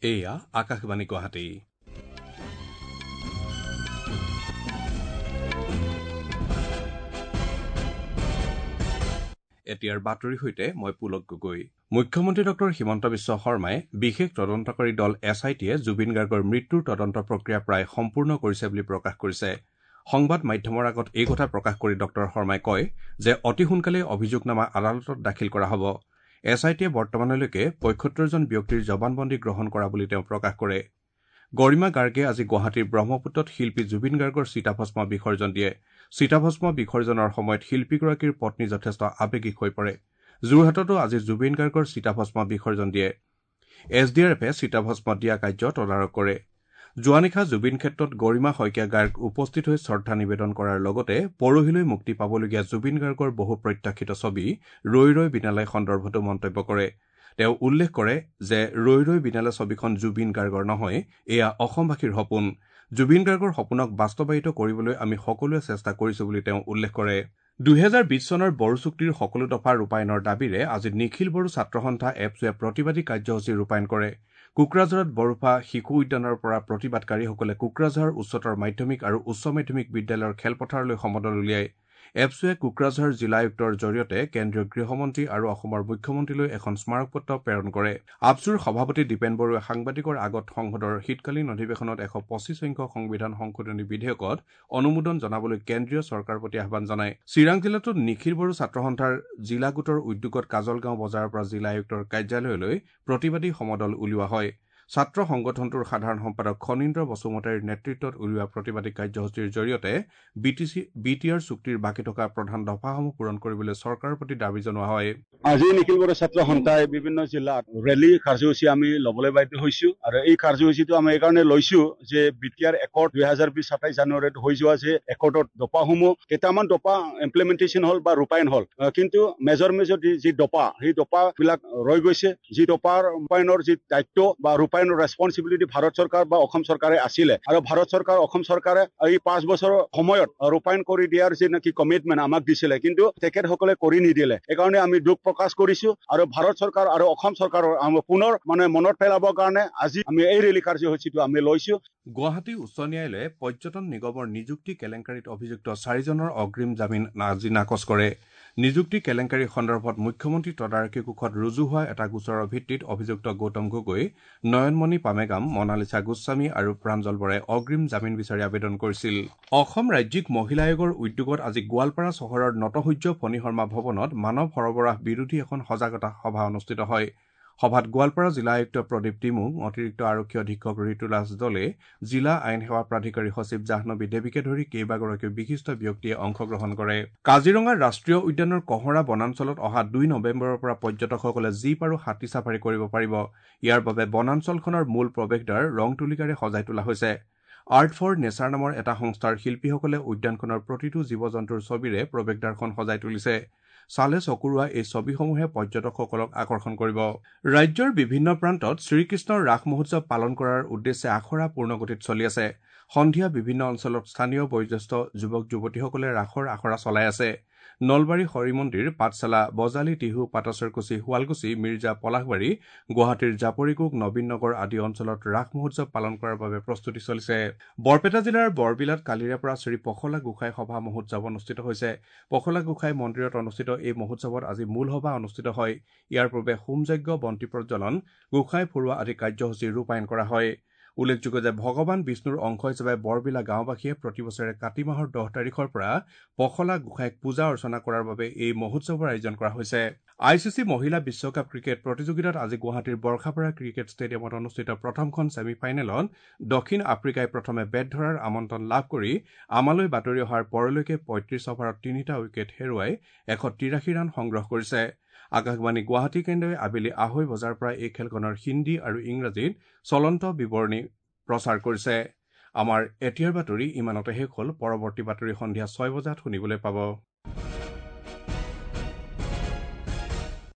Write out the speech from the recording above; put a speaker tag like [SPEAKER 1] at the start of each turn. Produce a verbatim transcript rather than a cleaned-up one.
[SPEAKER 1] এয়া আকাশবাণী গুৱাহাটী। এতিয়াৰ বাতৰিৰ সৈতে মই পুলক গগৈ। মুখ্যমন্ত্ৰী ডক্টৰ হিমন্ত বিশ্ব শৰ্মাই বিশেষ তদন্তকাৰী দল এছ I টিয়ে জুবিন গাৰ্গৰ মৃত্যুৰ তদন্ত প্ৰক্ৰিয়া প্ৰায় সম্পূৰ্ণ কৰিছে বুলি প্ৰকাশ কৰিছে। সংবাদ মাধ্যমৰ আগত এই কথা প্ৰকাশ কৰি ডক্টৰ শৰ্মাই কয় যে অতি সোনকালেই অভিযোগনামা আদালতত দাখিল কৰা হ'ব। এছ I টিয়ে বৰ্তমানলৈকে পঁয়সত্তৰজন ব্যক্তিৰ জবানবন্দী গ্ৰহণ কৰা বুলি তেওঁ প্ৰকাশ কৰে। গৰিমা গাৰ্গে আজি গুৱাহাটীৰ ব্ৰহ্মপুত্ৰত শিল্পী জুবিন গাৰ্গৰ চিতাভস্ম বিসৰ্জন দিয়ে। চিতাভস্ম বিসৰ্জনৰ সময়ত শিল্পীগৰাকীৰ পত্নী যথেষ্ট আৱেগিক হৈ পৰে। যোৰহাটতো আজি জুবিন গাৰ্গৰ চিতাভস্ম বিসৰ্জন দিয়ে। এছ ডি আৰ এফে চিতাভস্ম দিয়া কাৰ্য তদাৰক কৰে। যোৱা নিশা জুবিন ক্ষেত্ৰত গৰিমা শইকীয়া গাৰ্গ উপস্থিত হৈ শ্ৰদ্ধা নিবেদন কৰাৰ লগতে পৰহিলৈ মুক্তি পাবলগীয়া জুবিন গাৰ্গৰ বহু প্ৰত্যাশিত ছবি ৰৈ ৰৈ বিনালে সন্দৰ্ভতো মন্তব্য কৰে। তেওঁ উল্লেখ কৰে যে ৰৈ ৰৈ বিনালে ছবিখন জুবিন গাৰ্গৰ নহয়, এয়া অসমবাসীৰ সপোন। জুবিন গাৰ্গৰ সপোনক বাস্তৱায়িত কৰিবলৈ আমি সকলোৱে চেষ্টা কৰিছো বুলি তেওঁ উল্লেখ কৰে। দুহেজাৰ বিশ চনৰ বড়ো চুক্তিৰ সকলো দফা ৰূপায়ণৰ দাবীৰে আজি নিখিল বড়ো ছাত্ৰ সন্থা এপছুৱে প্ৰতিবাদী কাৰ্যসূচী ৰূপায়ণ কৰে। কোকৰাঝাৰত বৰফা শিশু উদ্যানৰ পৰা প্ৰতিবাদকাৰীসকলে কোকৰাঝাৰ উচ্চতৰ মাধ্যমিক আৰু উচ্চ মাধ্যমিক বিদ্যালয়ৰ খেলপথাৰলৈ সমদল উলিয়ায়। এপছুৱে কোকৰাঝাৰ জিলা আয়ুক্তৰ জৰিয়তে কেন্দ্ৰীয় গৃহমন্ত্ৰী আৰু অসমৰ মুখ্যমন্ত্ৰীলৈ এখন স্মাৰকপত্ৰ প্ৰেৰণ কৰে। আপছুৰ সভাপতি দীপেন বড়োৱে সাংবাদিকৰ আগত সংসদৰ শীতকালীন অধিৱেশনত এশ পঁচিছ সংখ্যক সংবিধান সংশোধনী বিধেয়কত অনুমোদন জনাবলৈ কেন্দ্ৰীয় চৰকাৰৰ প্ৰতি আহ্বান জনায়। চিৰাং জিলাতো নিখিল বড়ো ছাত্ৰ সন্থাৰ জিলা গোটৰ উদ্যোগত কাজলগাঁও বজাৰৰ পৰা জিলা আয়ুক্তৰ কাৰ্যালয়লৈ প্ৰতিবাদী সমদল উলিওৱা হয়। ছাত্ৰ সংগঠনটোৰ সাধাৰণ সম্পাদক খনীন্দ্ৰ বসুমতাৰীৰ নেতৃত্বত উলিওৱা প্ৰতিবাদী কাৰ্যসূচীৰ জৰিয়তে B T C B T R চুক্তিৰ বাকী থকা প্ৰধান দফাসমূহ পূৰণ কৰিবলৈ চৰকাৰৰ প্ৰতি দাবী জনোৱা হয়।
[SPEAKER 2] আজি নিখিল বড়ো ছাত্ৰ সন্থাই বিভিন্ন জিলাত ৰেলী কাৰ্যসূচী আমি ল'বলৈ বাধ্য হৈছো আৰু এই কাৰ্যসূচীটো আমি এইকাৰণে লৈছো যে বি টি আৰ একৰ্ড দুহেজাৰ বিশ সাতাইছ জানুৱাৰীত হৈ যোৱা যে একৰ্ডত দফাসমূহ কেইটামান দফা ইমপ্লিমেণ্টেশ্যন হ'ল বা ৰূপায়ণ হ'ল, কিন্তু মেজৰ মেজৰ যি দফা সেই দফাবিলাক ৰৈ গৈছে। যি দফাৰ ৰূপায়ণৰ যি দায়িত্ব বা ৰূপায়ণ ৰেচপনচিবিলিটি ভাৰত চৰকাৰ বা অসম চৰকাৰে আছিলে আৰু ভাৰত চৰকাৰ অসম চৰকাৰে এই পাঁচ বছৰৰ সময়ত ৰূপায়ণ কৰি দিয়াৰ যি নেকি কমিটমেণ্ট আমাক দিছিলে, কিন্তু তেখেতসকলে কৰি নিদিলে। এইকাৰণে আমি দুখ প্ৰকাশ কৰিছো আৰু ভাৰত চৰকাৰ আৰু অসম চৰকাৰৰ পুনৰ মানে মনত পেলাবৰ কাৰণে আজি আমি এই ৰেলী কাৰ্যসূচীটো আমি লৈছো।
[SPEAKER 1] গুৱাহাটী উচ্চ ন্যায়ালয়ে পৰ্যটন নিগমৰ নিযুক্তি কেলেংকাৰীত অভিযুক্ত চাৰিজনৰ অগ্ৰিম জামিন আজি নাকচ কৰে। নিযুক্তি কেলেংকাৰী সন্দৰ্ভত মুখ্যমন্ত্ৰী তদাৰকী কোষত ৰুজু হোৱা এটা গোচৰৰ ভিত্তিত অভিযুক্ত গৌতম গগৈ, নয়নমণি পামেগাম, মনালিছা গোস্বামী আৰু প্ৰাঞ্জল বৰাই অগ্ৰিম জামিন বিচাৰি আবেদন কৰিছিল। অসম ৰাজ্যিক মহিলা আয়োগৰ উদ্যোগত আজি গোৱালপাৰা চহৰৰ নটসূৰ্য ফণী শৰ্মা ভৱনত মানৱ সৰবৰাহ বিৰোধী এখন সজাগতা সভা অনুষ্ঠিত হয়। সভাত গোৱালপাৰা জিলা আয়ুক্ত প্ৰদীপ তিমুং, অতিৰিক্ত আৰক্ষী অধীক্ষক ঋতুৰাজ দলে, জিলা আইন সেৱা প্ৰাধিকাৰী সচিব জাহ্নৱী দেৱীকে ধৰি কেইবাগৰাকীও বিশিষ্ট ব্যক্তিয়ে অংশগ্ৰহণ কৰে। কাজিৰঙা ৰাষ্ট্ৰীয় উদ্যানৰ কঁহৰা বনাঞ্চলত অহা দুই নৱেম্বৰৰ পৰা পৰ্যটকসকলে জীপ আৰু হাতী চাফাৰী কৰিব পাৰিব। ইয়াৰ বাবে বনাঞ্চলখনৰ মূল প্ৰৱেশদ্বাৰ ৰং তুলিকাৰে সজাই তোলা হৈছে। আৰ্ট ফৰ নেচাৰ নামৰ এটা সংস্থাৰ শিল্পীসকলে উদ্যানখনৰ প্ৰতিটো জীৱ জন্তুৰ ছবিৰে প্ৰৱেশদ্বাৰখন সজাই তুলিছে। চালে চকুৰোৱা এই ছবিসমূহে পৰ্যটকসকলক আকৰ্ষণ কৰিব। ৰাজ্যৰ বিভিন্ন প্ৰান্তত শ্ৰীকৃষ্ণৰ ৰাস মহোৎসৱ পালন কৰাৰ উদ্দেশ্যে আখৰা পূৰ্ণগতিত চলি আছে। সন্ধিয়া বিভিন্ন অঞ্চলত স্থানীয় বয়োজ্যেষ্ঠ যুৱক যুৱতীসকলে ৰাসৰ আখৰা চলাই আছে। নলবাৰী হৰিমন্দিৰ, পাঠশালা, বজালী, টিহু, পাটাছাৰকুছি, শুৱালকুছি, মিৰ্জা, পলাশবাৰী, গুৱাহাটীৰ জাপৰিগোগ, নবীন নগৰ আদি অঞ্চলত ৰাস মহোৎসৱ পালন কৰাৰ বাবে প্ৰস্তুতি চলিছে। বৰপেটা জিলাৰ বৰবিলাত কালিৰে পৰা শ্ৰী পখলা গোসাঁই সভা মহোৎসৱ অনুষ্ঠিত হৈছে। পখলা গোসাঁই মন্দিৰত অনুষ্ঠিত এই মহোৎসৱত আজি মূল সভা অনুষ্ঠিত হয়। ইয়াৰ পূৰ্বে হোমযজ্ঞ, বন্তি প্ৰজ্বলন, গোসাঁই ফুৰোৱা আদি কাৰ্যসূচী ৰূপায়ণ কৰা হয়। উল্লেখযোগ্য যে ভগৱান বিষ্ণুৰ অংশ হিচাপে বৰবিলা গাঁওবাসীয়ে প্ৰতি বছৰে কাতি মাহৰ দহ তাৰিখৰ পৰা পখলা গোসাঁইক পূজা অৰ্চনা কৰাৰ বাবে এই মহোৎসৱৰ আয়োজন কৰা হৈছে। I C C মহিলা বিশ্বকাপ ক্ৰিকেট প্ৰতিযোগিতাত আজি গুৱাহাটীৰ বৰ্ষাপাৰা ক্ৰিকেট ষ্টেডিয়ামত অনুষ্ঠিত প্ৰথমখন ছেমি ফাইনেলত দক্ষিণ আফ্ৰিকাই প্ৰথমে বেট ধৰাৰ আমন্ত্ৰণ লাভ কৰি আমালৈ বাতৰি অহাৰ পৰলৈকে পঁয়ত্ৰিছ অভাৰত তিনিটা উইকেট হেৰুৱাই এশ তিৰাশী ৰান সংগ্ৰহ কৰিছে। আকাশবাণী গুৱাহাটী কেন্দ্ৰই আবেলি আঢ়ৈ বজাৰ পৰা এই খেলখনৰ হিন্দী আৰু ইংৰাজীত চলন্ত বিৱৰণী প্ৰচাৰ কৰিছে। আমাৰ এতিয়াৰ বাতৰি ইমানতে শেষ হ'ল। পৰৱৰ্তী বাতৰি সন্ধিয়া ছয় বজাত শুনিবলৈ পাব।